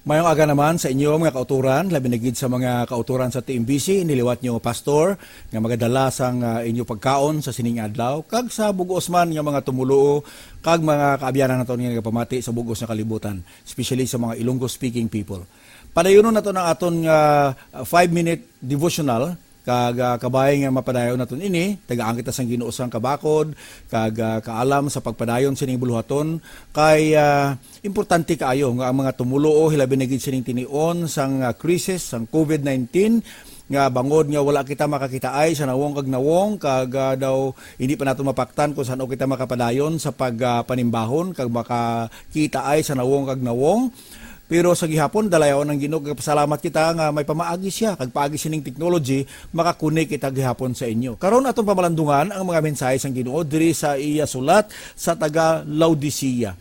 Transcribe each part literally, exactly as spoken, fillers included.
Mayong aga naman sa inyo, mga kauturan, labi na gid sa mga kauturan sa T M B C, niliwat nyo, Pastor, nga magadala sang, ah, inyo pagkaon sa sining adlaw, kag sa bug-os man nga mga tumuluo, kag mga kaabyanan naton nga nagapamati sa bug-os nga kalibutan, especially sa mga Ilonggo-speaking people. Padayunon nato ang aton nga, ah, five-minute devotional, kag, ah, kabay nga mapadayon naton ini, tagaan kita sang Ginoo sang kabakod, kag, ah, kaalam sa pagpadayon sining buluhaton, kay, ah, importante kaayo nga ang mga tumuluo, hilabi na gid sining tinion sang, ah, krisis sang COVID nineteen, nga bangod nga wala kita makakitaay sa nawong kag nawong, kag, ah, daw hindi pa nato mapaktan kung san-o kita makapadayon sa pag, ah, panimbahon kag makakitaay sa nawong kag nawong. Pero sa gihapon, dalayawon ang Ginoo, kag pasalamat kita nga may pamaagi siya, kag paagi sining technology, makakunik kita gihapon sa inyo. Karon, aton pamalandungan ang mga mensahe sang Ginoo diri sa iya sulat sa taga Laodicea.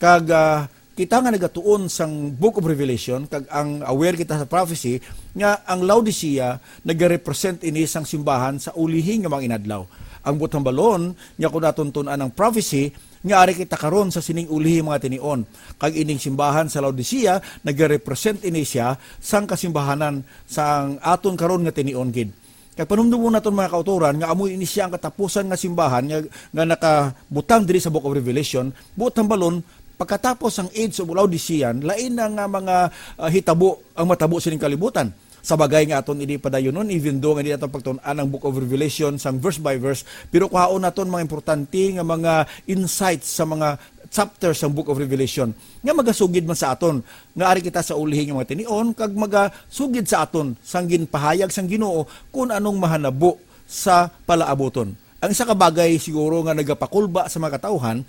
Kag, ah, kita nga nagatuon sang Book of Revelation, kag ang aware kita sa prophecy, nga ang Laodicea nagarepresent ini sang simbahan sa ulihi nga mga inadlaw. Ang butang balon nga kung aton tun-an ang prophecy, nga ari kita karon sa sining ulihi mga tinion. Kag ining simbahan sa Laodicea, nagarepresent ini siya sang kasimbahanan sang aton karon nga tinion gid. Kag panumdumon naton, mga kautoran, nga amo ini siya ang katapusan nga simbahan nga, nga nakabutang diri sa Book of Revelation, buot hambalon, pagkatapos sang age of Laodicean, lain na nga mga, ah, hitabo ang matabo sining kalibutan. Sa bagay nga aton ini padayunon, even though nga di naton pagtun-an ang Book of Revelation sang verse by verse, pero kuhaon naton mga importante nga mga insights sa mga chapter sang Book of Revelation nga magasugid man sa aton nga ari kita sa ulihi nga mga tinion, kag magasugid sa aton sang ginpahayag sang Ginoo kun anong mahanabo sa palaabuton. Ang isa ka bagay siguro nga nagapakulba sa mga katawhan,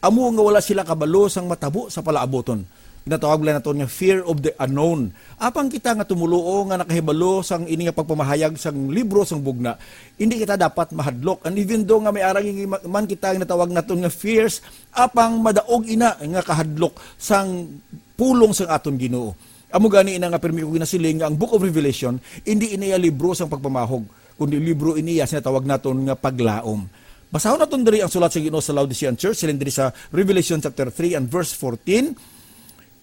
amo nga wala sila kabalo sang matabo sa palaabuton. Ginatawag lang naton nga fear of the unknown. Apang kita nga tumuluo nga nakahibalo sang ini nga pagpamahayag sang libro sang bugna, hindi kita dapat mahadlok. And even though nga may arang man kita nga natawag naton nga fears, apang madaog ina nga kahadlok sang pulong sang aton Ginoo. Amo gani ina nga pirmi ko ginasiling nga ang Book of Revelation hindi ina iya libro sang pagpamahog, kundi libro ini iya sa natawag naton nga paglaom. Basahon naton diri ang sulat sa Ginoo sa Laodicean Church, siling diri sa Revelation chapter three and verse fourteen.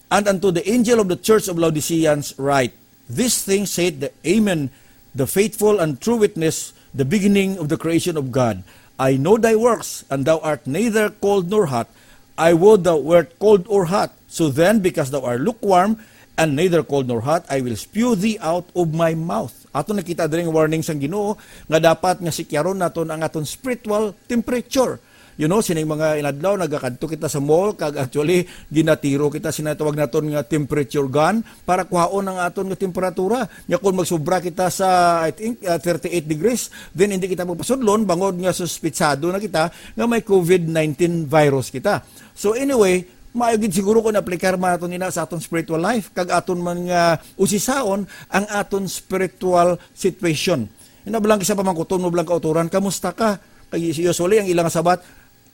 And unto the angel of the church of Laodiceans write, "This thing saith the Amen, the faithful and true witness, the beginning of the creation of God. I know thy works, and thou art neither cold nor hot. I would thou wert cold or hot. So then, because thou art lukewarm, and neither cold nor hot, I will spew thee out of my mouth." Ato nakita diri ang warning sang Ginoo nga dapat nga sikyaron naton ang aton spiritual temperature. You know, sining mga inadlaw, nagakadto kita sa mall, kag actually, ginatiro kita, sinatawag naton nga temperature gun, para kuhaon ang aton nga temperatura. Nga kung magsubra kita sa, I think, uh, thirty-eight degrees, then hindi kita magpasudlon, bangod nga suspitsado na kita nga may COVID nineteen virus kita. So anyway, maayo gid siguro kung aplikar man naton ina sa aton spiritual life, kag aton man nga usisaon ang aton spiritual situation. Ina, bilang isa pamangkuton mo, bilang kautoran, "Kamusta ka?" Kay usually, ang ilang sabat,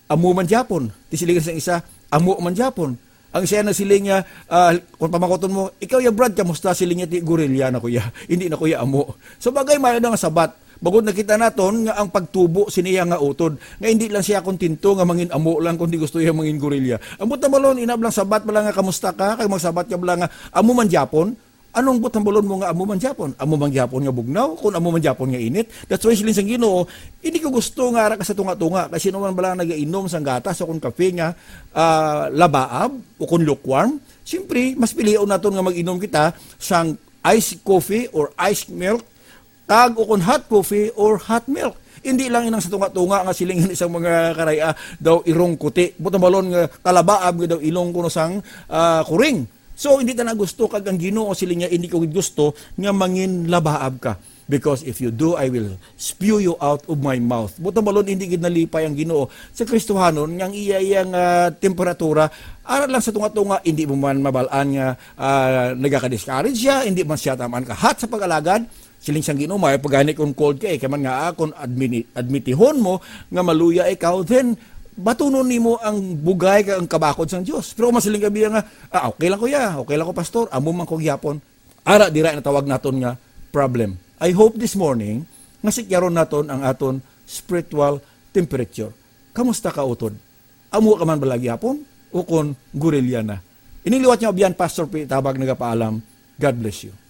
"Amo man gyapon." Ti siling sang isa, "Amo man gyapon." Ang siya nagsiling nga, ah, kung pamangkuton mo, "Ikaw ya, Brad, kamusta?" Siling niya, "Ti, gorilla na ko ya. Hindi na ko ya amo." So, bagay, maayo na nga sabat. Bangod nakita naton nga ang pagtubo siniya nga utod, nga hindi lang siya kontento nga mangin amo lang, kundi gusto iya mangin gorilla. Ang butang balon, ina, bilang sabat bala nga, "Kamusta ka?" Kag magsabat ka bala nga, "Amo man gyapon." Anong butang balon mo nga amo man gyapon? Amo man gyapon nga bugnaw, kung amo man gyapon nga init. That's why siling sang Ginoo, hindi ko gusto nga ara ka sa tunga-tunga, kay sino man bala nagainom sang gatas o kung kape nga, ah, labaab o kung lukewarm, siyempre, mas pilion naton nga mag-inom kita sang iced coffee or iced milk, kag o kung hot coffee or hot milk. Hindi lang inang sa tunga-tunga nga siling sang mga karaya daw irong kuti. Butang balon nga kalabaab nga daw ilong kuno sang, ah, kuring. So, hindi ta na gusto, kag ang Ginoo siling niya, "Hindi ko gid gusto nga mangin labaab ka. Because if you do, I will spew you out of my mouth." Butang balon, hindi gid nalipay ang Ginoo sa Kristohanon nga ang iya, iya nga temperatura, ara lang sa tunga-tunga, hindi mo man mabalaan nga, ah, nagaka-discourage siya, hindi man siya taman ka-hot sa pag-alagad. Siling sang Ginoo, may pagani kung cold ka, eh, kay man nga, ah, kung admini-, admitihon mo nga maluya ikaw, then batunon nimo ang bugay kag ang kabakod sang Dios. Pero kung masiling ka biya nga, "Ah, okay lang ko ya, okay lang ko, pastor, amo man ko gyapon." Ara, dira natawag naton nga problem. I hope this morning nga sikyaron naton ang aton spiritual temperature. Kamusta ka, utod? Amo ka man bala gyapon o kon gorilla na? Ining liwat nga abyan, Pastor P. Tabag nagapaalam. God bless you.